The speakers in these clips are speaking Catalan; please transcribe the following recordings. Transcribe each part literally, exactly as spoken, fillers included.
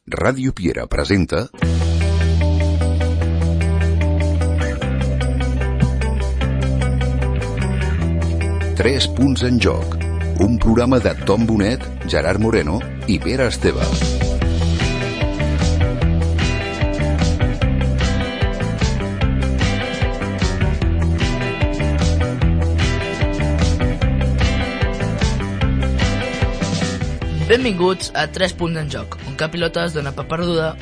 Ràdio Piera presenta Tres punts en joc, un programa de Tom Bonet, Gerard Moreno i Pere Esteve. Benvinguts a Tres punts en joc, un cap pilota es dona per perduda.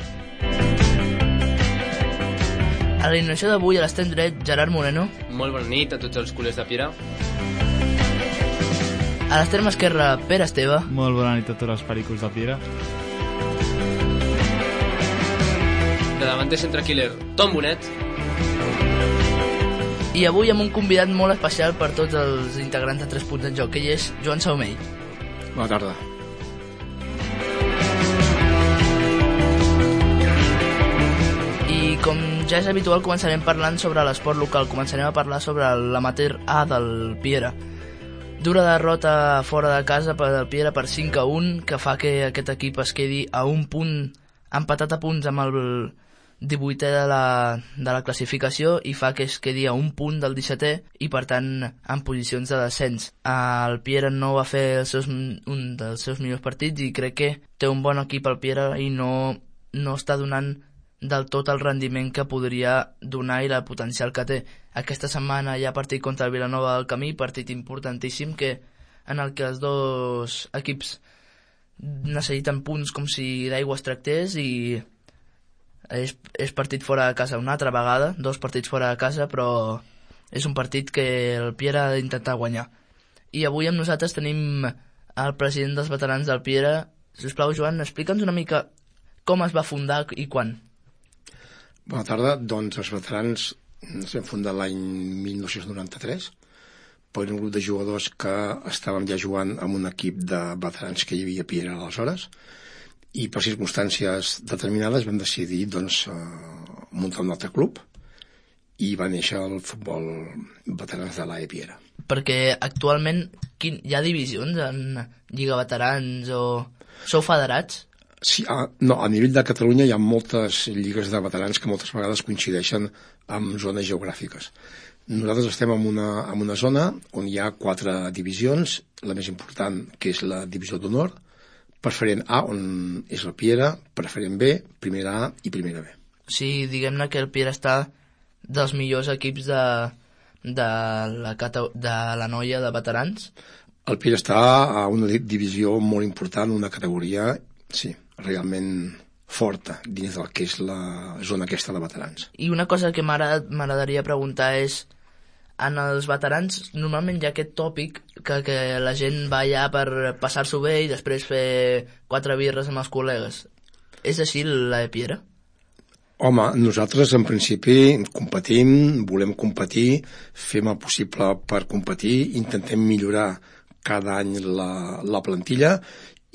A l'alineació d'avui a l'extrem dret, Gerard Moreno. Molt bona nit a tots els culers de Piera. A l'extrem esquerre, Pere Esteve. Molt bona nit a tots els pericos de Piera. De davanter centre killer, Tom Bonet. I avui amb un convidat molt especial per tots els integrants de Tres punts en joc, que ell és Joan Saumell. Bona tarda. I com ja és habitual, començarem parlant sobre l'esport local. Començarem a parlar sobre l'amateur A del Piera. Dura derrota fora de casa per del Piera per cinc a un, que fa que aquest equip es quedi a un punt, empatat a punts amb el divuitè de la, de la classificació, i fa que es quedi a un punt del dissetè i per tant en posicions de descens. El Piera no va fer els seus, un dels seus millors partits i crec que té un bon equip al Piera i no, no està donant del tot el rendiment que podria donar i el potencial que té. Aquesta setmana hi ha partit contra el Vilanova del Camí, partit importantíssim que, en el que els dos equips necessiten punts com si d'aigua es tractés, i és, és partit fora de casa una altra vegada, dos partits fora de casa, però és un partit que el Piera ha d'intentar guanyar. I avui amb nosaltres tenim el president dels veterans del Piera. Sisplau, Joan, explica'ns una mica com es va fundar i quan. Bona tarda. Doncs els veterans ens vam fundar l'any mil nou-cents noranta-tres per un grup de jugadors que estàvem ja jugant amb un equip de veterans que hi havia a Piera aleshores, i per circumstàncies determinades vam decidir doncs, muntar un altre club i va néixer el futbol veterans de l'A E Piera. Perquè actualment quin, hi ha divisions en Lliga Veterans o sou federats? Sí, a, no, a nivell de Catalunya hi ha moltes lligues de veterans que moltes vegades coincideixen amb zones geogràfiques. Nosaltres estem en una, en una zona on hi ha quatre divisions, la més important, que és la divisió d'honor, preferent A, on és el Piera, preferent B, primera A i primera B. Sí, diguem-ne que el Piera està dels millors equips de, de, la, de la noia de veterans. El Piera està a una divisió molt important, una categoria, sí, realment forta dins del que és la zona aquesta de veterans. I una cosa que m'agradaria preguntar és, en els veterans normalment hi ha aquest tòpic que, que la gent va allà per passar-s'ho bé i després fer quatre birres amb els col·legues. És així la de Piera? Home, nosaltres en principi competim, volem competir, fem el possible per competir, intentem millorar cada any la, la plantilla,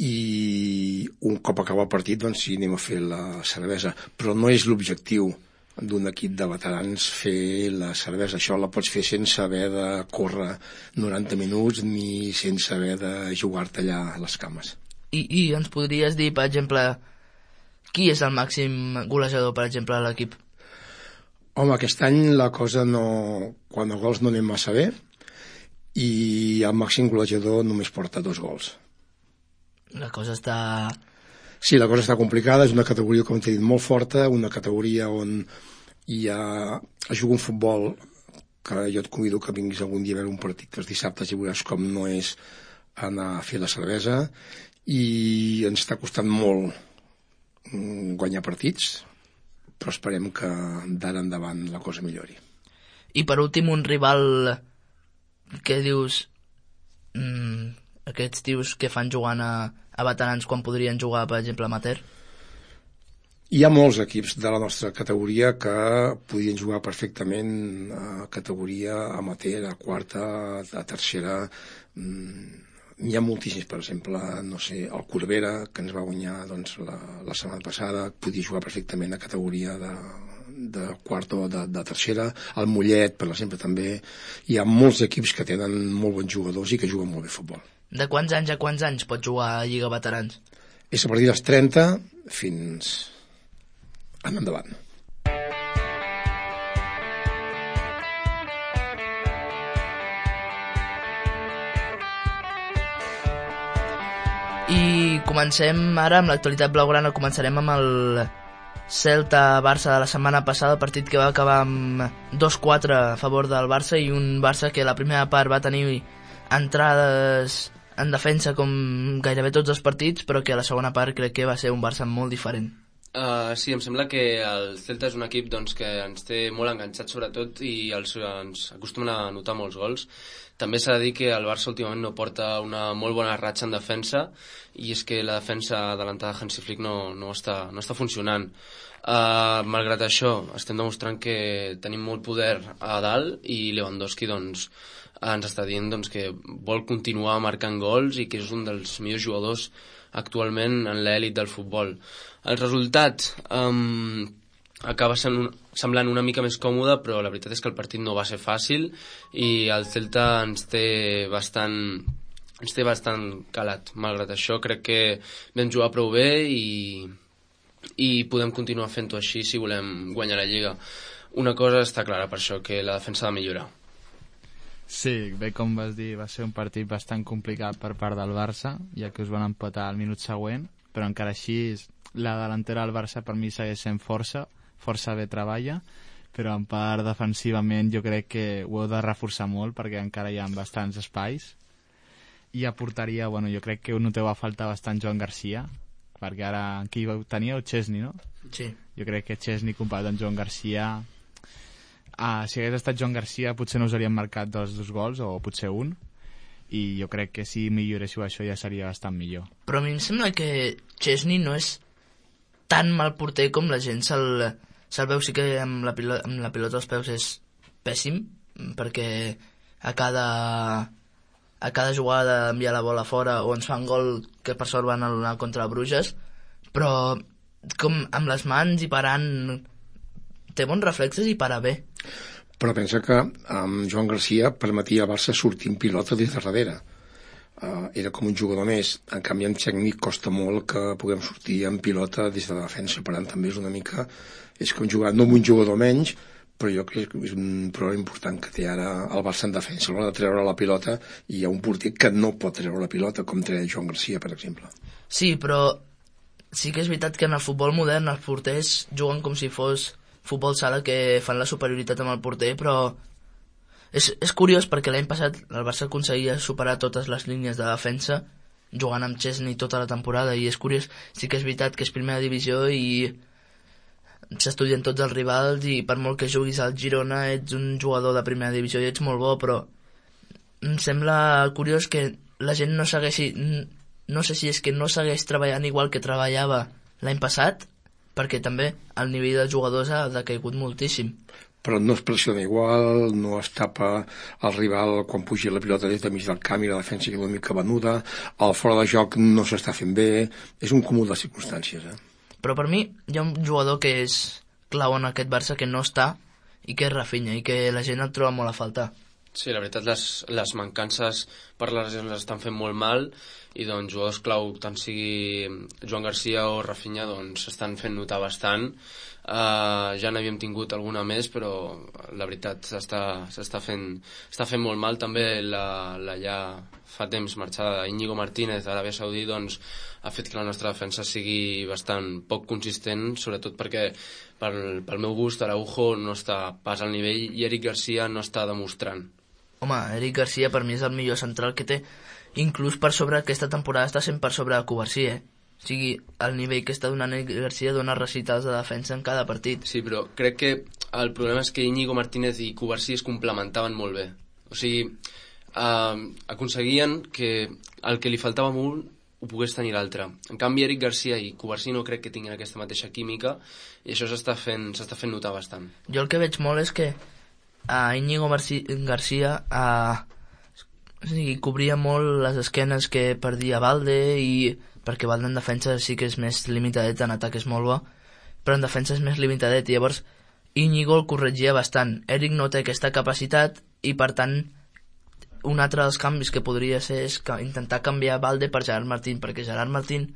i un cop acaba el partit doncs sí, anem a fer la cervesa, però no és l'objectiu d'un equip de veterans fer la cervesa. Això la pots fer sense haver de córrer noranta minuts ni sense haver de jugar-te allà a les cames. I, i ens podries dir, per exemple, qui és el màxim golejador, per exemple, a l'equip? Home, aquest any la cosa no... quan a gols no anem massa bé, i el màxim golejador només porta dos gols. La cosa està... Sí, la cosa està complicada, és una categoria, com t'he dit, molt forta, una categoria on hi ha... es juga un futbol que jo et convido que vinguis algun dia a veure un partit els dissabtes i veuràs com no és anar a fer la cervesa, i ens està costant molt guanyar partits, però esperem que d'ara endavant la cosa millori. I per últim, un rival que dius... Mm, aquests tios que fan jugant a, a veterans quan podrien jugar, per exemple, amateur? Hi ha molts equips de la nostra categoria que podrien jugar perfectament a categoria amateur, a quarta, a tercera. N'hi ha moltíssims, per exemple, no sé, el Corbera, que ens va guanyar doncs, la, la setmana passada, podria jugar perfectament a categoria de, de quarta o de, de tercera. El Mollet, per exemple, també. Hi ha molts equips que tenen molt bons jugadors i que juguen molt bé a futbol. De quants anys a quants anys pot jugar a Lliga Veterans? És a partir dels trenta fins en endavant. I comencem ara amb l'actualitat blaugrana. Començarem amb el Celta-Barça de la setmana passada, partit que va acabar amb dos quatre a favor del Barça, i un Barça que la primera part va tenir entrades en defensa com gairebé tots els partits, però que a la segona part crec que va ser un Barça molt diferent. Uh, sí, em sembla que el Celta és un equip doncs, que ens té molt enganxats sobretot i els, ens acostumen a anotar molts gols. També s'ha de dir que el Barça últimament no porta una molt bona ratxa en defensa, i és que la defensa adelantada de Hansi Flick no, no, està, no està funcionant. Uh, malgrat això, estem demostrant que tenim molt poder a dalt, i Lewandowski doncs, ens està dient doncs, que vol continuar marcant gols i que és un dels millors jugadors actualment en l'elit del futbol. El resultat um, acaba sent, semblant una mica més còmode, però la veritat és que el partit no va ser fàcil i el Celta ens té bastant, ens té bastant calat. Malgrat això, crec que vam jugar prou bé i, i podem continuar fent-ho així si volem guanyar la Lliga. Una cosa està clara per això, que la defensa ha de millorar. Sí, bé, com vas dir, va ser un partit bastant complicat per part del Barça, ja que us van empatar al minut següent, però encara així la delantera del Barça per mi segueix sent força, força bé treballa, però en part defensivament jo crec que ho heu de reforçar molt perquè encara hi ha bastants espais. I a porteria, bueno, jo crec que noteu a falta bastant Joan Garcia, perquè ara qui teníeu? Chesney, no? Sí. Jo crec que Chesney comparat amb Joan Garcia... Ah, si hagués estat Joan Garcia potser no us haurien marcat dos, dos gols o potser un, i jo crec que si milloréssiu això ja seria bastant millor. Però a mi em sembla que Chesney no és tan mal porter com la gent se'l, se'l veu. Sí que amb la, pilota, amb la pilota als peus és pèssim, perquè a cada, a cada jugada envia la bola fora o ens fan gol, que per sort van anar contra Bruges, però com amb les mans i parant té bons reflexes i para bé. Però pensa que amb Joan Garcia permetia al Barça sortir en pilota des de darrere. Uh, era com un jugador més. En canvi, en tècnic costa molt que puguem sortir en pilota des de la defensa. Per tant, també és una mica... És que un jugador, no un jugador menys, però jo crec que és un problema important que té ara el Barça en defensa. A l'hora de treure la pilota, hi ha un porter que no pot treure la pilota, com treia Joan Garcia, per exemple. Sí, però sí que és veritat que en el futbol modern els porters juguen com si fos futbol sala, que fan la superioritat amb el porter, però és, és curiós perquè l'any passat el Barça aconseguia superar totes les línies de defensa jugant amb Chesney tota la temporada, i és curiós. Sí que és veritat que és primera divisió i s'estudien tots els rivals, i per molt que juguis al Girona ets un jugador de primera divisió i ets molt bo, però em sembla curiós que la gent no segueixi, no sé si és que no segueix treballant igual que treballava l'any passat, perquè també el nivell dels jugadors ha decaigut moltíssim. Però no es pressiona igual, no es tapa el rival quan puja la pilota des de mig del camp i la defensa que és una mica venuda, el fora de joc no s'està fent bé, és un comú de circumstàncies. Eh? Però per mi hi ha un jugador que és clau en aquest Barça que no està, i que és Rafinha, i que la gent el troba molt a faltar. Sí, la veritat, les, les mancances per les lesions les estan fent molt mal, i doncs jugadors clau, tant sigui Joan Garcia o Rafinha, doncs s'estan fent notar bastant. Uh, ja n'havíem tingut alguna més, però la veritat s'està, s'està fent, està fent molt mal. També la, la ja fa temps marxada Íñigo Martínez a l'Aràbia Saudí, doncs ha fet que la nostra defensa sigui bastant poc consistent, sobretot perquè pel, pel meu gust Araujo no està pas al nivell i Eric Garcia no està demostrant. Home, Eric Garcia per mi és el millor central que té, inclús per sobre aquesta temporada està sent per sobre de Covarsí, eh? O sigui, el nivell que està donant Eric Garcia dona recitals de defensa en cada partit. Sí, però crec que el problema és que Íñigo Martínez i Covarsí es complementaven molt bé. O sigui, eh, aconseguien que el que li faltava a un ho pogués tenir l'altre. En canvi, Eric Garcia i Covarsí no crec que tinguin aquesta mateixa química, i això s'està fent, s'està fent notar bastant. Jo el que veig molt és que a Íñigo Garcia a, o sigui, cobria molt les esquenes que perdia Valde, i perquè Valde en defensa sí que és més limitadet, en atac és molt bo, però en defensa és més limitadet, i llavors Íñigo el corregia bastant. Eric no té aquesta capacitat, i per tant un altre dels canvis que podria ser és que intentar canviar Valde per Gerard Martín, perquè Gerard Martín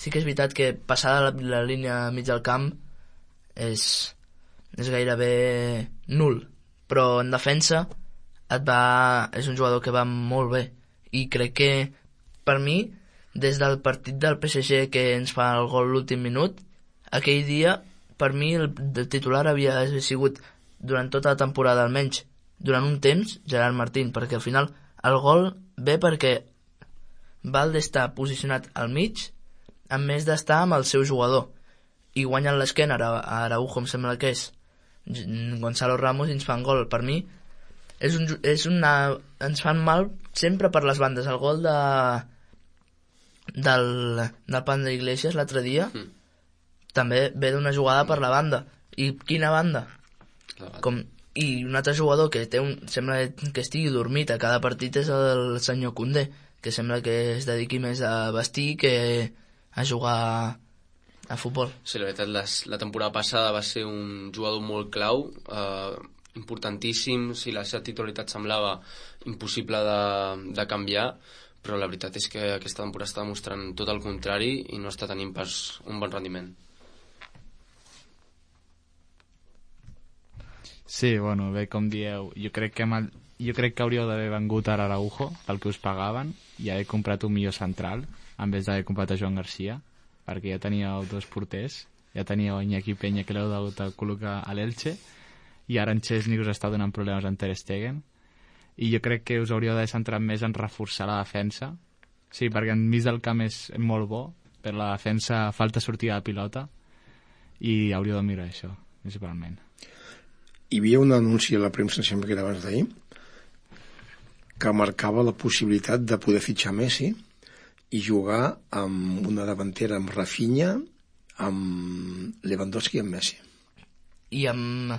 sí que és veritat que passada la, la línia mig del camp és, és gairebé nul, però en defensa et va, és un jugador que va molt bé, i crec que per mi, des del partit del P S G que ens fa el gol l'últim minut, aquell dia per mi el, el titular havia sigut durant tota la temporada, almenys durant un temps, Gerard Martín, perquè al final el gol ve perquè Valde està posicionat al mig en més d'estar amb el seu jugador i guanyen l'esquena a Araujo, em sembla que és Gonzalo Ramos, i ens fan gol. Per mi és un, és una, ens fan mal sempre per les bandes. El gol de del, del Panda Iglesias l'altre dia mm. també ve d'una jugada per la banda. I quina banda? Com, i un altre jugador que té un, sembla que estigui dormit a cada partit és el senyor Koundé, que sembla que es dediqui més a vestir que a jugar a futbol. Sí, la veritat, les, la temporada passada va ser un jugador molt clau, eh, importantíssim, si la seva titularitat semblava impossible de, de canviar, però la veritat és que aquesta temporada està demostrant tot el contrari i no està tenint pas un bon rendiment. Sí, bueno, bé, com dieu, jo crec que, el, jo crec que hauríeu d'haver vengut a Araujo, pel que us pagaven, i haver comprat un millor central, en vez d'haver comprat a Joan Garcia, perquè ja teníeu dos porters, ja teníeu Iñaki Peña, que l'heu hagut de col·locar a l'Elche, i ara en Chesney us està donant problemes en Ter Stegen, i jo crec que us hauríeu d'haver centrat més en reforçar la defensa, sí, perquè en mig del camp és molt bo, però la defensa falta sortida de pilota, i hauríeu de mirar això, principalment. Hi havia un anunci a la premsa, sempre que era abans d'ahir, que marcava la possibilitat de poder fitxar Messi i jugar amb una davantera amb Rafinha, amb Lewandowski i amb Messi. I amb,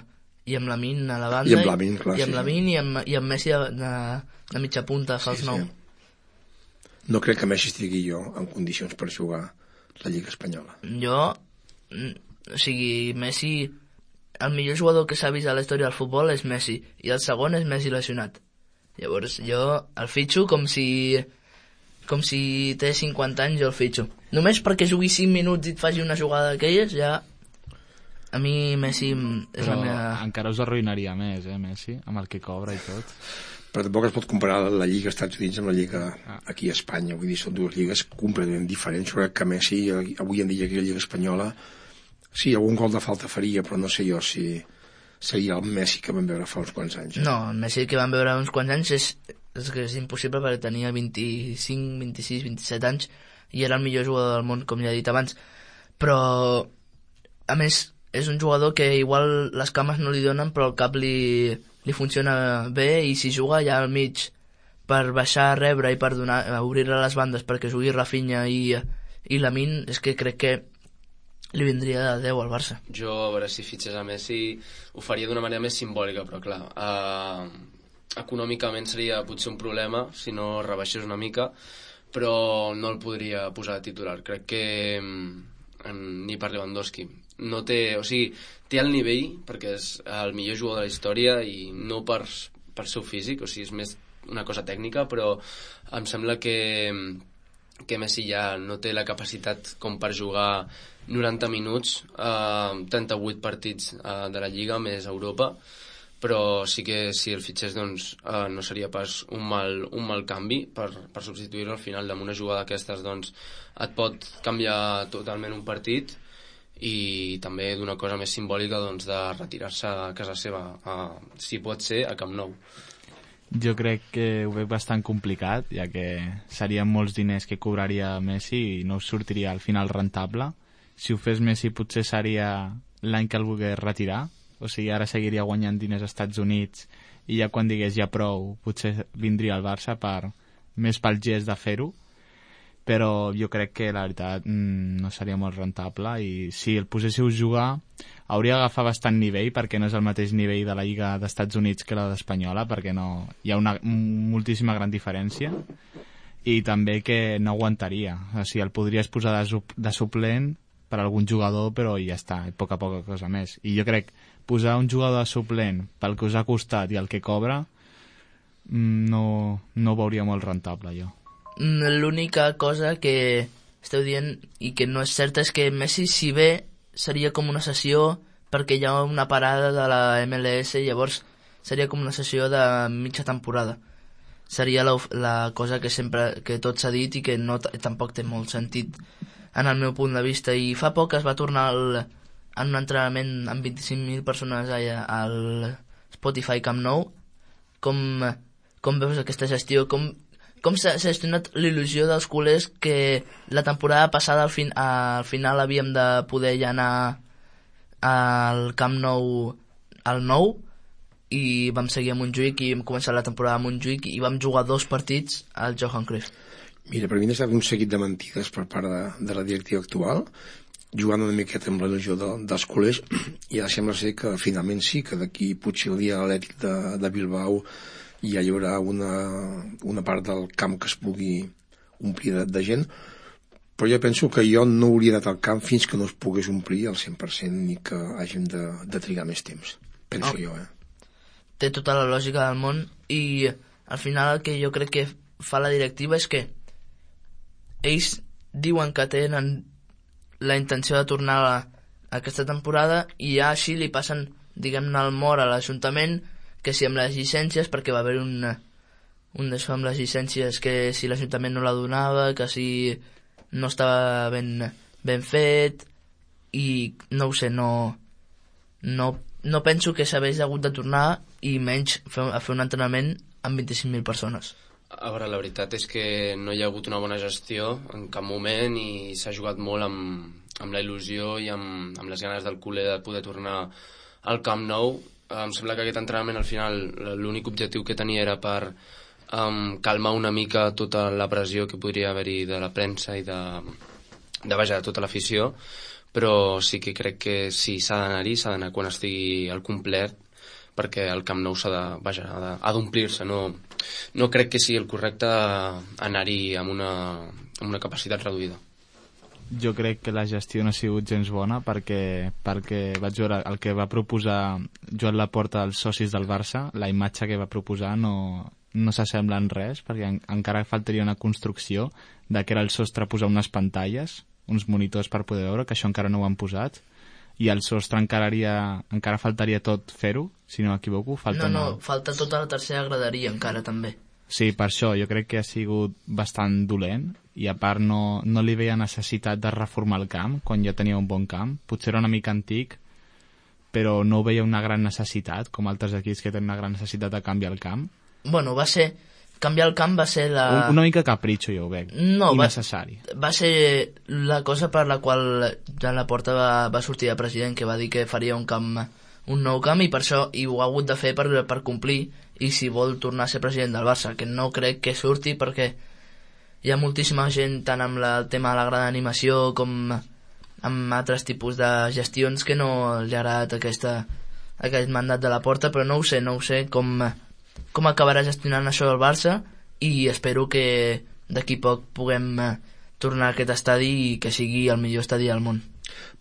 i amb Lamine a la banda. I amb Lamine, clar, i amb sí. Lamine i amb, i amb Messi de, de, de mitja punta, fals sí, nou. Sí. No crec que Messi estigui jo en condicions per jugar la Lliga Espanyola. Jo, o sigui, Messi, el millor jugador que s'ha vist a la història del futbol és Messi, i el segon és Messi lesionat. Llavors jo el fitxo com si com si té cinquanta anys, jo el fitxo. Només perquè jugui cinc minuts i et faci una jugada d'aquelles, ja a mi Messi és però la meva... encara us arruïnaria més, eh, Messi, amb el que cobra i tot. Però tampoc es pot comparar la Lliga als Estats Units amb la Lliga aquí a Espanya. Vull dir, són dues lligues completament diferents. Jo crec que Messi, avui en dia, aquí a la Lliga Espanyola, sí, algun gol de falta faria, però no sé jo si seria el Messi que vam veure fa uns quants anys. Eh? No, el Messi que vam veure uns quants anys és, és que és impossible, perquè tenia vint-i-cinc, vint-i-sis, vint-i-set anys i era el millor jugador del món, com ja he dit abans. Però, a més, és un jugador que igual les cames no li donen, però el cap li, li funciona bé, i si juga allà al mig per baixar a rebre i per donar, obrir a les bandes perquè jugui Rafinha i, i Lamine, és que crec que li vindria de deu al Barça. Jo, a veure, si fitxés a Messi ho faria d'una manera més simbòlica, però clar, eh, econòmicament seria potser un problema si no rebaixés una mica, però no el podria posar de titular. Crec que en, ni per Lewandowski no té, o sigui, té el nivell perquè és el millor jugador de la història i no per, per seu físic, o sigui, és més una cosa tècnica, però em sembla que que Messi ja no té la capacitat com per jugar noranta minuts, eh, trenta-vuit partits eh, de la Lliga més Europa, però sí que si el fitxés doncs, eh, no seria pas un mal, un mal canvi per, per substituir-lo al final d'una jugada d'aquestes, doncs et pot canviar totalment un partit, i també d'una cosa més simbòlica, doncs, de retirar-se a casa seva, eh, si pot ser a Camp Nou. Jo crec que ho veig bastant complicat, ja que serien molts diners que cobraria Messi i no us sortiria al final rentable. Si ho fes Messi potser seria l'any que el volgués retirar, o sigui, ara seguiria guanyant diners als Estats Units i ja quan digués ja prou potser vindria al Barça per, més pel gest de fer-ho, però jo crec que la veritat no seria molt rentable, i si el poséssiu jugar hauria d'agafar bastant nivell, perquè no és el mateix nivell de la Lliga d'Estats Units que la d'Espanyola, perquè no, hi ha una moltíssima gran diferència, i també que no aguantaria, o sigui, el podries posar de, de suplent per algun jugador, però ja està, poca poca cosa més. I jo crec posar un jugador de suplent pel que us ha costat i el que cobra no, no ho veuria molt rentable, jo. L'única cosa que esteu dient i que no és cert és que Messi, si bé, seria com una sessió perquè hi ha una parada de la M L S i llavors seria com una sessió de mitja temporada. Seria la, la cosa que sempre que tot s'ha dit i que no, tampoc té molt sentit en el meu punt de vista. I fa poc es va tornar al, en un entrenament amb vint-i-cinc mil persones allà, al Spotify Camp Nou. Com, com veus aquesta gestió? Com, com s'ha gestionat l'il·lusió dels culers que la temporada passada al, fin, al final havíem de poder ja anar al Camp Nou al nou i vam seguir a Montjuïc i vam començar la temporada a Montjuïc i vam jugar dos partits al Johan Cruyff. Mira, per mi ha estat un seguit de mentides per part de, de la directiva actual, jugant una miqueta amb la il·lusió de, dels culers, i ara sembla ser que finalment sí, que d'aquí potser el dia atlètic de, de Bilbao ja hi haurà una, una part del camp que es pugui omplir de, de gent, però jo penso que jo no hauria d'anar al camp fins que no es pogués omplir al cent per cent ni que hàgim de, de trigar més temps. Penso oh. jo, eh? Té tota la lògica del món i al final el que jo crec que fa la directiva és que ells diuen que tenen la intenció de tornar a, a aquesta temporada i ja així li passen, diguem-ne, el mort a l'Ajuntament, que si amb les llicències, perquè va haver un, un d'això amb les llicències, que si l'Ajuntament no la donava, que si no estava ben, ben fet, i no ho sé, no, no, no penso que s'hagués hagut de tornar i menys fer, a fer un entrenament amb vint-i-cinc mil persones. A veure, la veritat és que no hi ha hagut una bona gestió en cap moment i s'ha jugat molt amb, amb la il·lusió i amb, amb les ganes del culer de poder tornar al Camp Nou. Em sembla que aquest entrenament al final l'únic objectiu que tenia era per um, calmar una mica tota la pressió que podria haver-hi de la premsa i de, de, vaja, de tota l'afició, però sí que crec que si s'ha d'anar-hi, s'ha d'anar quan estigui al complet, perquè el Camp Nou s'ha de, vaja, ha d'omplir-se. No, no crec que sigui el correcte anar-hi amb una, amb una capacitat reduïda. Jo crec que la gestió no ha sigut gens bona perquè, perquè vaig veure el que va proposar Joan Laporta als socis del Barça, la imatge que va proposar no, no s'assembla en res, perquè en, encara faltaria una construcció de que era el sostre posar unes pantalles, uns monitors per poder veure, que això encara no ho han posat, i el sostre encara, haria, encara faltaria tot fer-ho, si no m'equivoco. Falta no, no, una... falta tota la tercera graderia encara també. Sí, per això jo crec que ha sigut bastant dolent i a part no, no li veia necessitat de reformar el camp quan ja tenia un bon camp. Potser era una mica antic, però no veia una gran necessitat, com altres equips que tenen una gran necessitat de canviar el camp. Bueno, va ser... Canviar el camp va ser la... Un, una mica capritxo, jo ho veig. No, innecessari. Va, va ser la cosa per la qual Joan Laporta va, va sortir de president, que va dir que faria un camp, un nou camp, i per això i ho ha hagut de fer per, per complir, i si vol tornar a ser president del Barça, que no crec que surti perquè hi ha moltíssima gent tant amb la, el tema de la gran animació com amb altres tipus de gestions que no li ha agradat aquesta, aquest mandat de Laporta, però no ho sé, no ho sé com... com acabarà gestionant això el Barça i espero que d'aquí poc puguem tornar a aquest estadi i que sigui el millor estadi del món.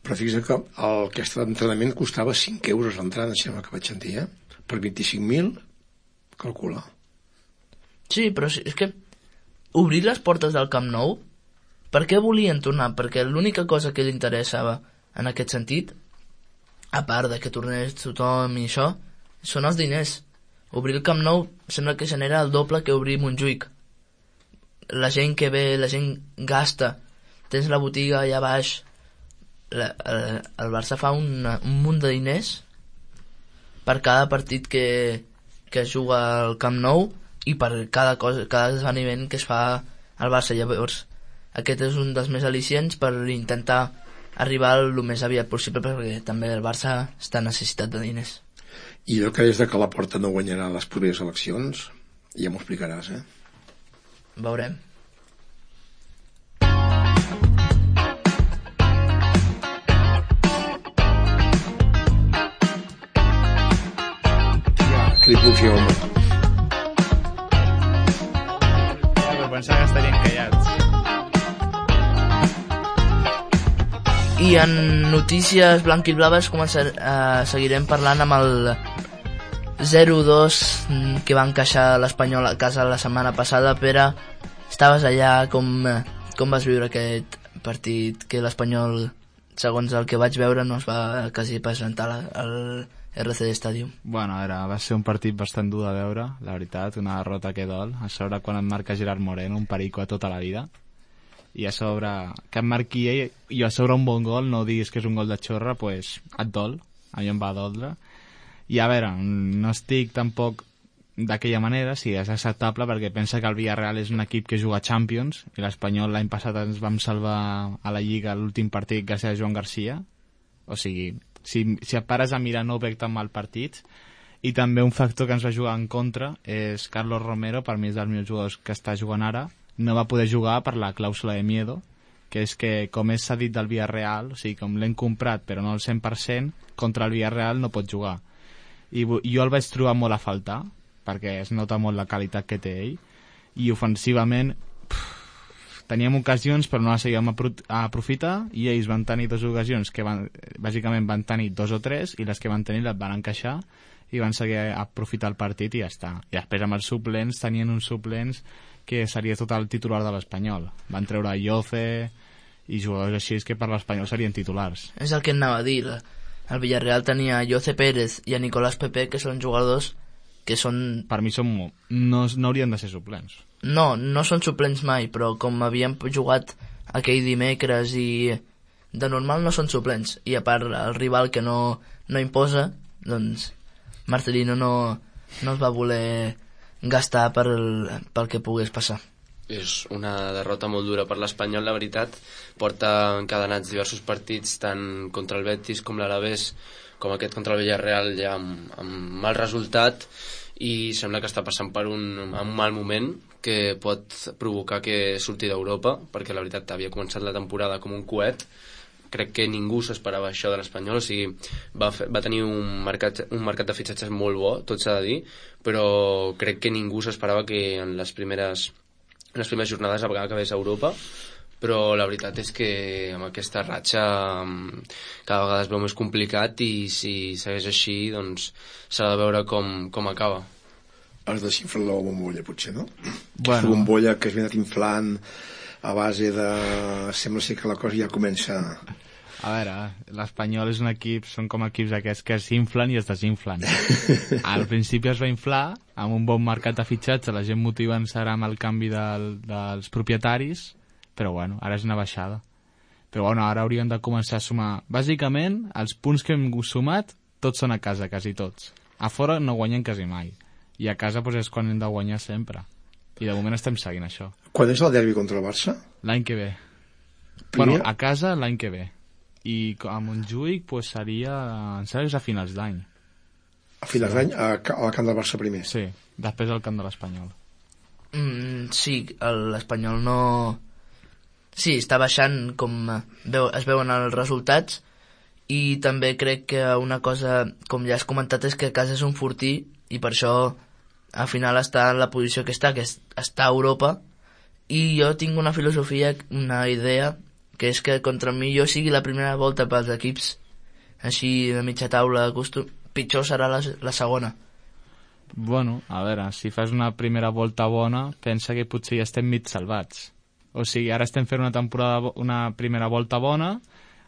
Però fixa't que el, aquest entrenament costava cinc euros l'entrada, sembla que vaig sentir, eh? Per vint-i-cinc mil, calcula. Sí, però és que obrir les portes del Camp Nou, per què volien tornar? Perquè l'única cosa que li interessava en aquest sentit, a part de que tornés tothom i això, són els diners. Obrir el Camp Nou sembla que genera el doble que obrir Montjuïc. La gent que ve, la gent gasta, tens la botiga allà baix. La, el, el Barça fa un, un munt de diners per cada partit que, que es juga al Camp Nou i per cada, cosa, cada esdeveniment que es fa al Barça. Llavors, aquest és un dels més al·licients per intentar arribar el més aviat possible, perquè també el Barça està necessitat de diners. I el que és de que Laporta no guanyarà les properes eleccions, ja m'ho explicaràs, eh? Veurem. Que li puc fer, home. Però pensava que estarien callats. I en notícies blanquiblaves començar, eh, seguirem parlant amb el zero dos que va encaixar l'Espanyol a casa la setmana passada. Pere, estaves allà, com, com vas viure aquest partit que l'Espanyol, segons el que vaig veure, no es va quasi presentar al R C D Stadium. Bueno, era, va ser un partit bastant dur de veure, la veritat, una derrota que dol. A sobre quan et marca Gerard Moreno, un perico a tota la vida, i a sobre que em marqui ell, i a sobre un bon gol, no diguis que és un gol de xorra, pues et dol, a mi em va doldre. I a veure, no estic tampoc d'aquella manera, sí, és acceptable, perquè pensa que el Villarreal és un equip que juga a Champions, i l'Espanyol l'any passat ens vam salvar a la Lliga l'últim partit gràcies a Joan Garcia. O sigui, si, si et pares a mirar no veig tan mal partits. I també un factor que ens va jugar en contra és Carlos Romero, per mi és dels millors jugadors que està jugant ara, no va poder jugar per la clàusula de miedo, que és que com és cedit del Villarreal, o sigui, com l'hem comprat però no al cent per cent, contra el Villarreal no pot jugar. I jo el vaig trobar molt a faltar, perquè es nota molt la qualitat que té ell, i ofensivament pff, teníem ocasions però no les sabíem aprofitar, i ells van tenir dues ocasions que van, bàsicament van tenir dos o tres, i les que van tenir les van encaixar i van seguir a aprofitar el partit i ja està. I després amb els suplents tenien uns suplents que seria tot el titular de l'Espanyol. Van treure Yoce i jugadors així que per l'Espanyol serien titulars. És el que anava a dir. El Villarreal tenia a Yoce Pérez i a Nicolás Pepe, que són jugadors que són... Per mi són... no, no haurien de ser suplents. No, no són suplents mai, però com havíem jugat aquell dimecres i de normal no són suplents. I a part el rival que no, no imposa, doncs Marcelino no, no es va voler gastar per el, pel que pogués passar. És una derrota molt dura per l'Espanyol, la veritat. Porta encadenats diversos partits, tant contra el Betis com l'Alavés, com aquest contra el Villarreal, ja amb, amb mal resultat, i sembla que està passant per un, un mal moment que pot provocar que surti d'Europa, perquè la veritat havia començat la temporada com un coet. Crec que ningú s'esperava això de l'Espanyol, o sigui, va, fer, va tenir un mercat, un mercat de fitxatges molt bo, tot s'ha de dir, però crec que ningú s'esperava que en les primeres, en les primeres jornades a vegades acabés a Europa, però la veritat és que amb aquesta ratxa cada vegada es veu més complicat, i si segueix així doncs s'ha de veure com, com acaba. Has desinflat la bombolla, potser, no? Bueno. La bombolla que has anat inflant a base de... Sembla ser que la cosa ja comença... A veure, l'Espanyol és un equip, són com equips aquests que s'inflen i es desinflen. Al principi es va inflar, amb un bon mercat de fitxatge, la gent motivant-se amb el canvi del, dels propietaris, però bueno, ara és una baixada. Però bueno, ara hauríem de començar a sumar. Bàsicament, els punts que hem sumat, tots són a casa, quasi tots. A fora no guanyen quasi mai. I a casa doncs, és quan hem de guanyar sempre. I de moment estem seguint això. Quan és el derbi contra el Barça? L'any que ve. Primer... Bueno, a casa l'any que ve. I a Montjuïc pues, seria, em sembla que és a finals d'any. A finals d'any, a, a la camp del Barça primer? Sí, després al camp de l'Espanyol. Mm, sí, l'Espanyol no... Sí, està baixant com veu, es veuen els resultats, i també crec que una cosa, com ja has comentat, és que a casa és un fortí, i per això al final està en la posició que està, que és, està a Europa, i jo tinc una filosofia, una idea, que és que contra mi jo sigui la primera volta pels equips així de mitja taula, costum, pitjor serà la, la segona. Bueno, a veure, si fas una primera volta bona, pensa que potser ja estem mig salvats. O sigui, ara estem fent una temporada, una primera volta bona,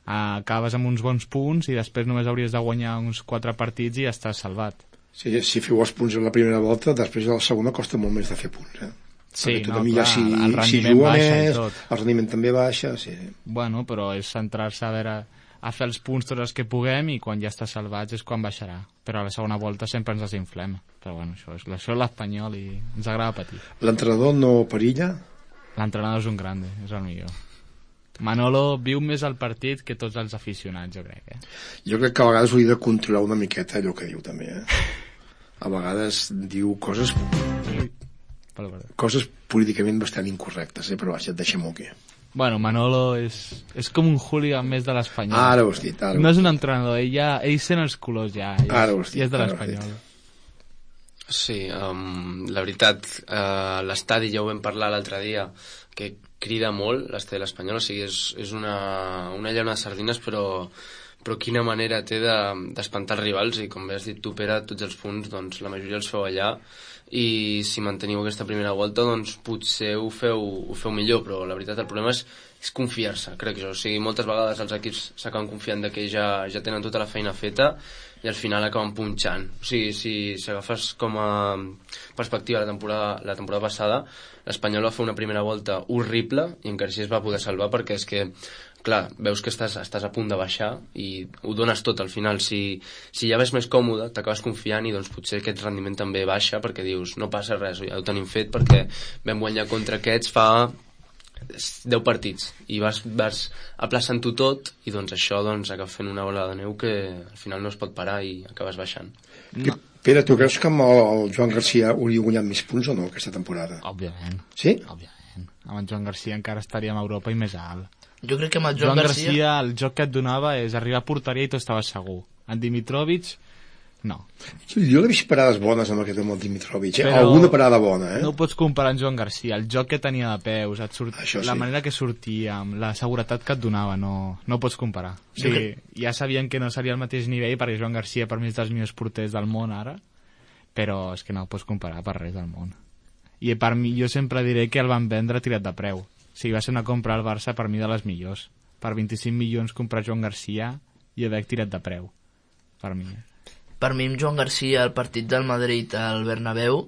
acabes amb uns bons punts i després només hauries de guanyar uns quatre partits i ja estàs salvat. Sí, si feu els punts en la primera volta, després a la segona costa molt més de fer punts, eh? Sí, no, clar, si, el rendiment si baixa més, i tot. El rendiment també baixa, sí. Bueno, però és centrar-se a veure, a fer els punts tots els que puguem, i quan ja estàs salvats és quan baixarà. Però a la segona volta sempre ens desinflem. Però bueno, això és, això és l'Espanyol i ens agrada patir. L'entrenador no perilla? L'entrenador és un grande, és el millor. Manolo viu més el partit que tots els aficionats, jo crec. Eh? Jo crec que a vegades hauria de controlar una miqueta allò que diu, també. Eh? A vegades diu coses... coses políticament bastant incorrectes, eh? Però vaja, et deixem-ho aquí. Bueno, Manolo és, és com un hooligan més de l'Espanyol. Ara ho has dit. Ara no és un entrenador, ell, ja, ell sent els colors ja. Ell, ara ho has dit. I és de l'Espanyol. Sí, um, la veritat, uh, l'estadi ja ho vam parlar l'altre dia, que crida molt l'estadi de l'Espanyol, o sigui, és, és una, una llauna de sardines, però, però quina manera té d'espantar de, els rivals, i com bé has dit tu, Pere, tots els punts, doncs la majoria els feu allà, i si manteniu aquesta primera volta, doncs potser ho feu, ho feu millor, però la veritat el problema és, és confiar-se, crec jo. O sigui, moltes vegades els equips s'acaben confiant de que ja, ja tenen tota la feina feta i al final acaben punxant. O sigui, si, si agafes com a perspectiva la temporada, la temporada passada, l'Espanyol va fer una primera volta horrible i encara així es va poder salvar, perquè és que clar, veus que estàs, estàs a punt de baixar i ho dones tot al final. Si, si ja ves més còmode, t'acabes confiant i doncs potser aquest rendiment també baixa, perquè dius, no passa res, ja ho tenim fet perquè vam guanyar contra aquests fa deu partits i vas, vas aplaçant-ho tot i doncs això doncs acaba fent una bola de neu que al final no es pot parar i acabes baixant. No. Pere, tu creus que amb el Joan Garcia hauria guanyat més punts o no aquesta temporada? Òbviament. Sí? Òbviament. Amb en Joan Garcia encara estaríem a Europa i més alt. Jo crec que amb el Joan, Joan Garcia... Garcia, el joc que et donava és arribar a porteria i tu estaves segur. En Dimitrovic, no. Jo l'he vist parades bones amb aquest amb el Dimitrovic, eh? Però Alguna parada bona, eh? no ho pots comparar amb Joan Garcia. El joc que tenia de peus, et surt... Això sí. La manera que sortia, amb la seguretat que et donava, no, no ho pots comparar. O sigui, ja sabien que no seria el mateix nivell, perquè Joan Garcia per mi és dels millors porters del món ara, però és que no ho pots comparar per res del món. I per mi, jo sempre diré que el van vendre tirat de preu. O sigui, va ser una compra al Barça per mi de les millors. Per vint-i-cinc milions comprar Joan Garcia i haver tirat de preu. Per mi. Per mi amb Joan Garcia el partit del Madrid al Bernabéu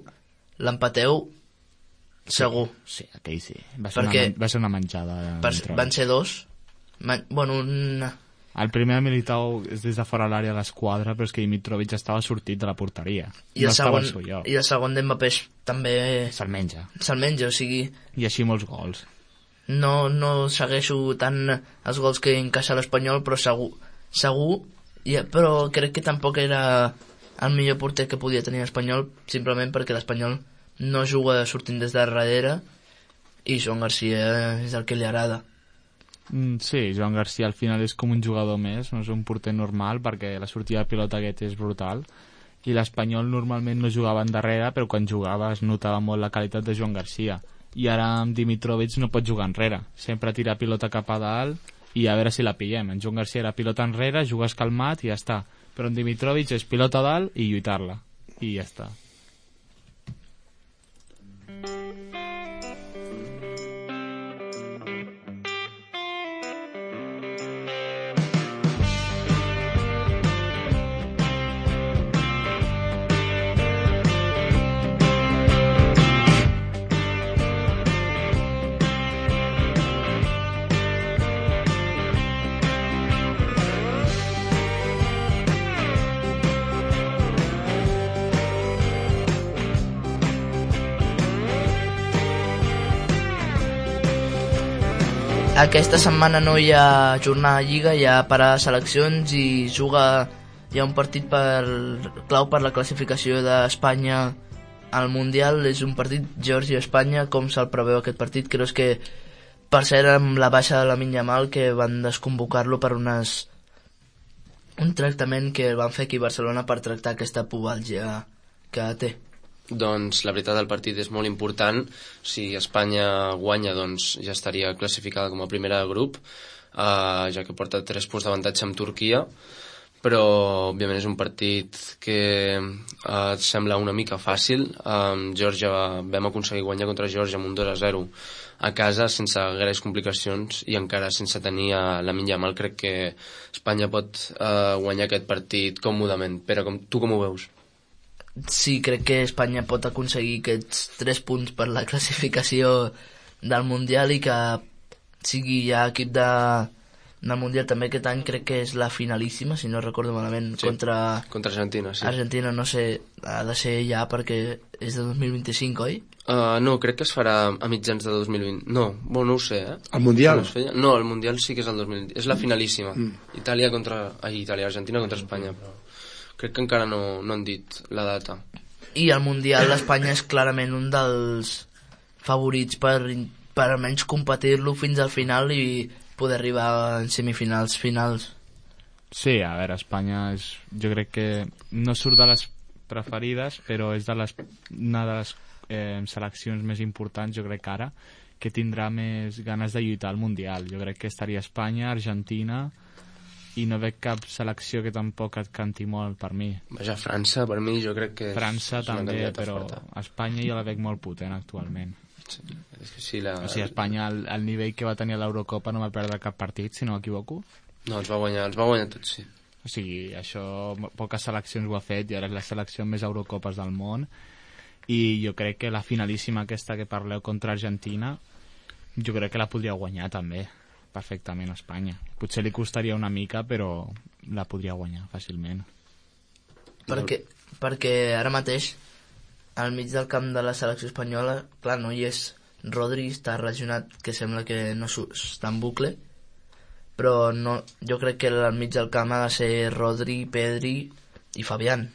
l'empateu segur. Sí, sí, aquell sí. Va ser, Perquè una, va ser una menjada. Per, van ser dos. Man, bueno, una... El primer Militao és des de fora l'àrea de l'esquadra, però és que Dimitrovic estava sortit de la porteria. I no el segon, estava al seu lloc. i el segon d'Mbappé també... Se'l menja. Se'l menja, o sigui... I així molts gols. No, no segueixo tant els gols que encaixa l'Espanyol, però segur, segur ja, però crec que tampoc era el millor porter que podia tenir l'Espanyol, simplement perquè l'Espanyol no juga sortint des de darrere i Joan Garcia és el que li agrada. Mm, sí, Joan Garcia al final és com un jugador més, no és un porter normal, perquè la sortida de pilota aquest és brutal, i l'Espanyol normalment no jugava endarrere, però quan jugava es notava molt la qualitat de Joan Garcia. I ara amb Dimitrovic no pot jugar enrere, sempre tira pilota cap a dalt i a veure si la pillem. En Joan Garcia era pilota enrere, jugues calmat i ja està, però en Dimitrovic és pilota a dalt i lluitar-la i ja està. Aquesta setmana no hi ha jornada de Lliga, hi ha parada de seleccions i juga, hi ha un partit per, clau per la classificació d'Espanya al Mundial. És un partit Geòrgia-Espanya. Com se'l preveu aquest partit? Creus que, per cert, amb la baixa de Lamine Yamal, que van desconvocar-lo per unes, un tractament que van fer aquí a Barcelona per tractar aquesta pubalgia que té? Doncs la veritat el partit és molt important. Si Espanya guanya, doncs ja estaria classificada com a primera de grup, eh, ja que porta tres punts d'avantatge amb Turquia, però òbviament és un partit que eh, sembla una mica fàcil. Amb Geòrgia vam aconseguir guanyar contra Geòrgia amb un dos a zero a casa sense gaires complicacions i encara sense tenir a Lamine Yamal. Crec que Espanya pot eh, guanyar aquest partit còmodament. Pere, com, tu com ho veus? Sí, crec que Espanya pot aconseguir aquests tres punts per la classificació del Mundial i que sigui ja equip de, del Mundial també aquest any. Crec que és la finalíssima, si no recordo malament, sí, contra... contra Argentina, sí. Argentina, no sé, ha de ser ja perquè és de dos mil vint-i-cinc, oi? Uh, no, crec que es farà a mitjans de dos mil vint. No, bueno, no ho sé, eh? El Mundial? No, no, el Mundial sí que és el dos mil vint. És la finalíssima. Mm. Itàlia contra... Ai, Itàlia, Argentina contra Espanya, però... Crec que encara no, no han dit la data. I al Mundial l'Espanya és clarament un dels favorits per, per almenys competir-lo fins al final i poder arribar en semifinals finals. Sí, a veure, Espanya és, jo crec que no surt de les preferides, però és de les, una de les eh, seleccions més importants, jo crec que ara, que tindrà més ganes de lluitar al Mundial. Jo crec que estaria Espanya, Argentina i no veig cap selecció que tampoc et canti molt per mi. Vaja, França, per mi, jo crec que... França és una també, candidata però forta. Espanya jo la veig molt potent actualment. Sí, és que sí, la... O sigui, Espanya, al, al nivell que va tenir a l'Eurocopa no va perdre cap partit, si no m'equivoco. No, els va guanyar, els va guanyar tots, sí. O sigui, això poques seleccions ho ha fet i ara és la selecció amb més Eurocopes del món i jo crec que la finalíssima aquesta que parleu contra Argentina jo crec que la podria guanyar també perfectament a Espanya. Potser li costaria una mica però la podria guanyar fàcilment. Perquè, perquè ara mateix al mig del camp de la selecció espanyola, clar, no hi és Rodri, està relacionat, que sembla que no està en bucle, però no, jo crec que al mig del camp ha de ser Rodri, Pedri i Fabián.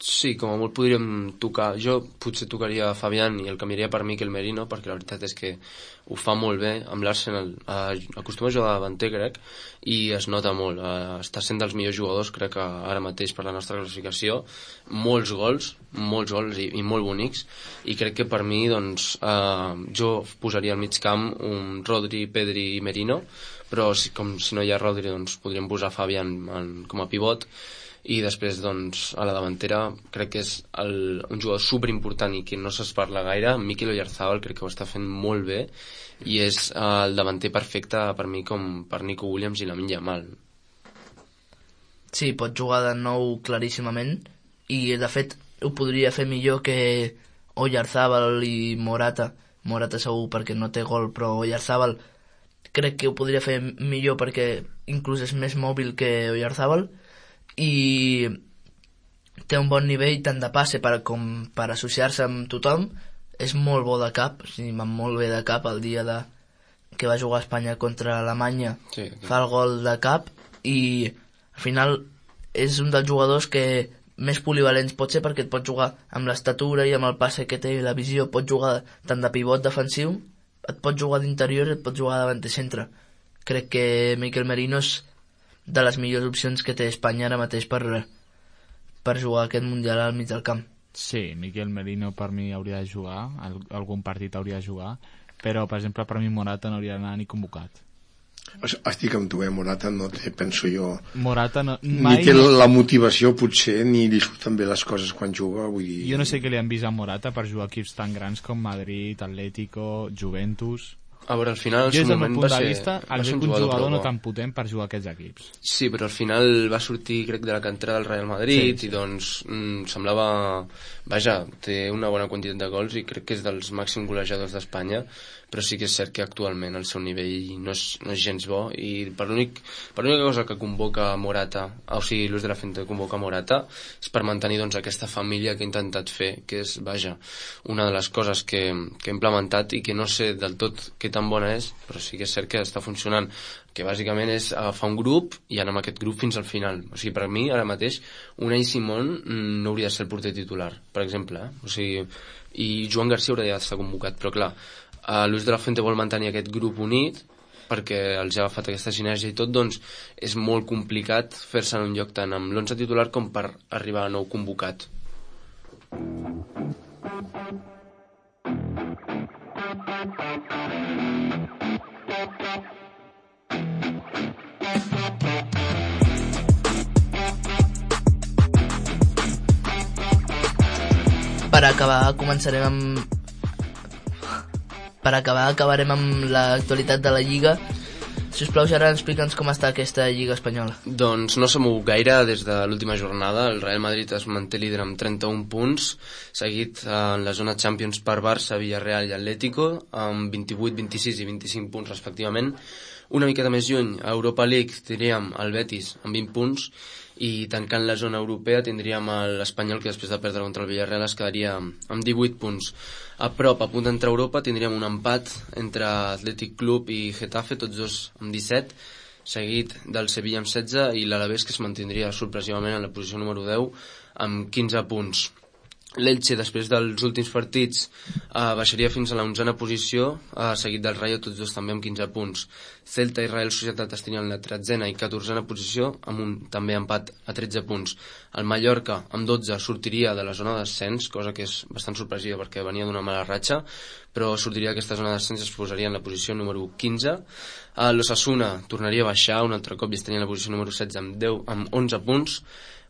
Sí, com a molt podríem tocar... Jo potser tocaria Fabián i el canviaria per Mikel Merino, perquè la veritat és que ho fa molt bé amb l'Arsenal. Acostuma a jugar davanter, crec, i es nota molt. Està sent dels millors jugadors, crec que ara mateix per la nostra classificació. Molts gols, molts gols i, i molt bonics, i crec que per mi, doncs, eh, jo posaria al mig camp un Rodri, Pedri i Merino, però si, com si no hi ha Rodri, doncs podríem posar Fabián en, com a pivot, i després doncs a la davantera crec que és el, un jugador superimportant i que no se'ls parla gaire. Mikel Oyarzabal crec que ho està fent molt bé i és el davanter perfecte per mi com per Nico Williams i Lamine Yamal. Sí, pot jugar de nou claríssimament i de fet ho podria fer millor que Oyarzabal i Morata. Morata segur perquè no té gol, però Oyarzabal crec que ho podria fer millor perquè inclús és més mòbil que Oyarzabal i té un bon nivell tant de passe per, com per associar-se amb tothom. És molt bo de cap, o sigui, va molt bé de cap el dia de, que va jugar a Espanya contra Alemanya, sí, okay. Fa el gol de cap i al final és un dels jugadors que més polivalents pot ser perquè et pot jugar amb l'estatura i amb el passe que té i la visió, pot jugar tant de pivot defensiu, et pot jugar d'interior i et pot jugar davant de centre. Crec que Mikel Merino és de les millors opcions que té Espanya ara mateix per, per jugar aquest Mundial al mig del camp. Sí, Mikel Merino per mi hauria de jugar, algun partit hauria de jugar, però per exemple per mi Morata no hauria d'anar ni convocat. Estic amb tu, eh? Morata no té, penso jo, Morata no, mai... ni té la motivació potser, ni li surten bé les coses quan juga, vull dir... Jo no sé què li han vist a Morata per jugar equips tan grans com Madrid, Atlético, Juventus... A veure, al final, al jo, seu des del moment, meu va punt de ser, vista, va el ser veig un un jugador, jugador no bo. tan potent per jugar aquests equips. Sí, però al final va sortir, crec, de la cantera del Real Madrid, sí, sí. I doncs mm, semblava... Vaja, té una bona quantitat de gols i crec que és dels màxims golejadors d'Espanya, però sí que és cert que actualment el seu nivell no és, no és gens bo i per l'únic per l'única cosa que convoca Morata, o sigui, Luis de la Fuente convoca Morata, és per mantenir doncs aquesta família que ha intentat fer, que és, vaja, una de les coses que, que ha implementat i que no sé del tot què tan bona és, però sí que és cert que està funcionant, que bàsicament és agafar un grup i anar amb aquest grup fins al final. O sigui, per mi, ara mateix, Unai Simón no hauria de ser el porter titular, per exemple, eh? O sigui, i Joan Garcia hauria d'estar convocat, però clar, Uh, Luis de la Fuente vol mantenir aquest grup unit perquè els ha agafat aquesta sinergia i tot, doncs és molt complicat fer-se en un lloc tant amb l'onze titular com per arribar a nou convocat. Per acabar començarem amb Per acabar, acabarem amb l'actualitat de la Lliga. Si us plau, Gerard, explica'ns com està aquesta Lliga espanyola. Doncs no s'ha mogut gaire des de l'última jornada. El Real Madrid es manté líder amb trenta-un punts, seguit en la zona Champions per Barça, Villarreal i Atlético, amb vint-i-vuit, vint-i-sis i vint-i-cinc punts respectivament. Una miqueta més lluny, a Europa League tindríem el Betis amb vint punts i tancant la zona europea tindríem l'Espanyol, que després de perdre contra el Villarreal es quedaria amb divuit punts. A prop, a punt d'entrar a Europa, tindríem un empat entre Athletic Club i Getafe, tots dos amb disset, seguit del Sevilla amb setze i l'Alavés, que es mantindria sorpresivament en la posició número deu amb quinze punts. L'Elche, després dels últims partits, eh, baixaria fins a l'onzena posició, eh, seguit del Rayo, tots dos també amb quinze punts. Celta i Real Societat estarien en la tretzena i catorzena posició, amb un també empat a tretze punts. El Mallorca, amb dotze, sortiria de la zona d'ascens, cosa que és bastant sorpresiva perquè venia d'una mala ratxa, però sortiria d'aquesta zona d'ascens i es posaria en la posició número quinze. Eh, L'Osasuna tornaria a baixar un altre cop i estaria en la posició número setze amb, deu, amb onze punts.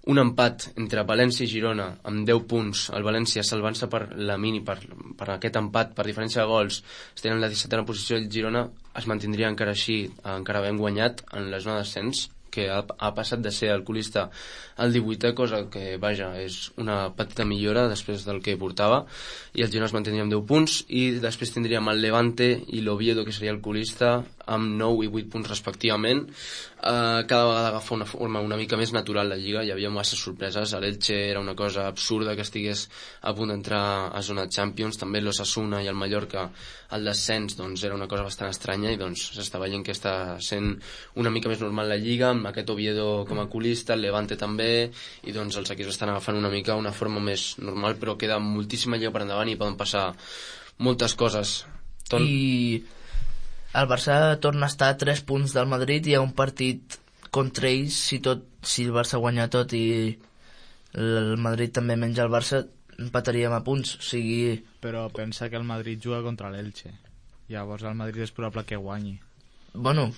Un empat entre València i Girona amb deu punts. El València salvant-se per la mini, per, per aquest empat, per diferència de gols, estarien en la dissetena posició i el Girona es mantindria encara així, encara havent guanyat en la zona d'ascens, que ha, ha passat de ser el colista al divuitè, cosa que, vaja, és una petita millora després del que portava, i el Girona es mantindria amb deu punts, i després tindríem el Levante i l'Oviedo, que seria el colista, amb nou i vuit punts respectivament. Uh, cada vegada agafa una forma una mica més natural la Lliga, hi havia massa sorpreses. L'Elche era una cosa absurda que estigués a punt d'entrar a zona Champions, també l'Osasuna i el Mallorca el descens, doncs era una cosa bastant estranya, i doncs s'està veient que està sent una mica més normal la Lliga, amb aquest Oviedo com a colista, el Levante també, i doncs els equips estan agafant una mica una forma més normal, però queda moltíssima Lliga per endavant i poden passar moltes coses. Ton... I el Barça torna a estar a tres punts del Madrid, hi ha un partit contra ells, si, tot, si el Barça guanya tot i el Madrid també menja el Barça, empataríem a punts, o sigui... Però pensa que el Madrid juga contra l'Elche, llavors el Madrid és probable que guanyi. Bueno,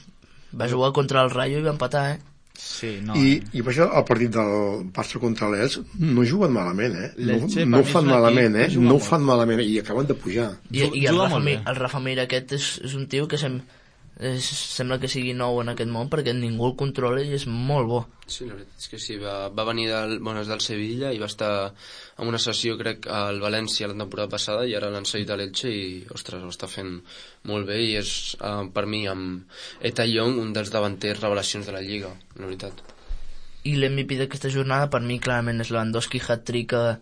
va jugar contra el Rayo i va empatar, eh? Sí, no, I, eh? i per això el partit del Barça contra l'Elx no juguen malament, eh? No, L'Elche, no per mi, fan és un malament, equip eh? que juga No molt. fan malament i acaben de pujar. I, i el, Juga Rafa molt Mir, bé. el Rafa Mir aquest és, és un tio que sem, és, sembla que sigui nou en aquest món perquè ningú el controla i és molt bo. Sí, la veritat és que sí, va, va venir del, bueno, és del Sevilla i va estar en una sessió, crec, al València la temporada passada, i ara l'han cedit a l'Elche i, ostres, ho està fent molt bé, i és, uh, per mi, amb Eta Young, un dels davanters revelacions de la Lliga, la veritat. I l'M V P d'aquesta jornada per mi clarament és Lewandowski, hat-trick a,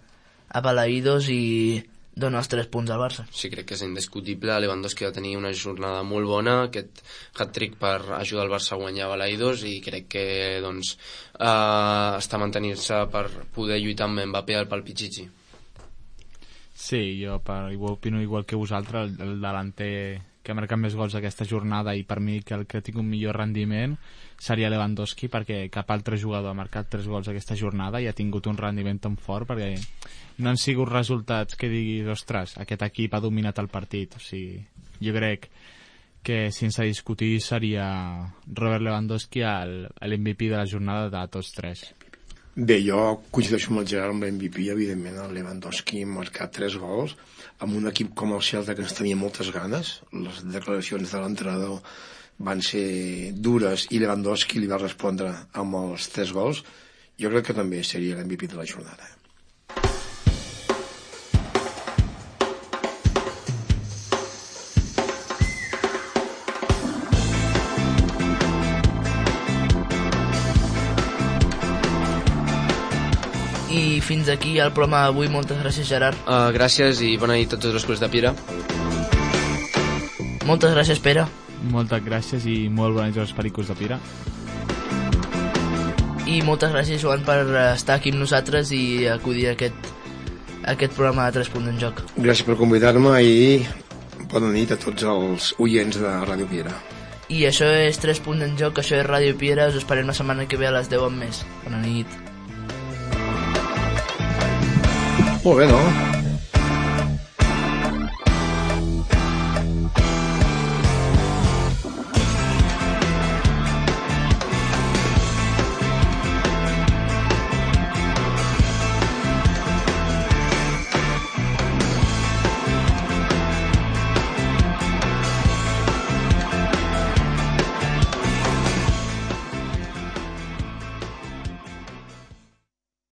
a Balaïdos i dona els tres punts al Barça. Sí, crec que és indiscutible. Lewandowski va tenir una jornada molt bona, aquest hat-trick per ajudar el Barça a guanyar Balaïdos, i crec que doncs, uh, està mantenint-se per poder lluitar amb Mbappé pel Pichichi. Sí, jo per, igual, opino igual que vosaltres, el, el delanter que ha marcat més gols aquesta jornada, i per mi que el que ha tingut un millor rendiment seria Lewandowski, perquè cap altre jugador ha marcat tres gols aquesta jornada i ha tingut un rendiment tan fort, perquè no han sigut resultats que diguis, ostres, aquest equip ha dominat el partit. O sigui, jo crec que sense discutir seria Robert Lewandowski l'M V P de la jornada de tots tres. Bé, jo coincideixo amb el Gerard, amb l'M V P, evidentment, el Lewandowski ha marcat tres gols, amb un equip com el Celta que ens tenia moltes ganes. Les declaracions de l'entrenador van ser dures i Lewandowski li va respondre amb els tres gols. Jo crec que també seria l'M V P de la jornada. I fins aquí el programa d'avui. Moltes gràcies, Gerard. Uh, gràcies i bona nit a tots els clubs de Piera. Moltes gràcies, Pere. Moltes gràcies i molt bona nit als pericos de Pira. I moltes gràcies, Joan, per estar aquí amb nosaltres i acudir a aquest, a aquest programa de tres punts en joc. Gràcies per convidar-me i bona nit a tots els oients de Ràdio Piera. I això és tres punts en joc, això és Ràdio Piera. Us esperem la setmana que ve a les deu amb més. Bona nit. Molt bé, no?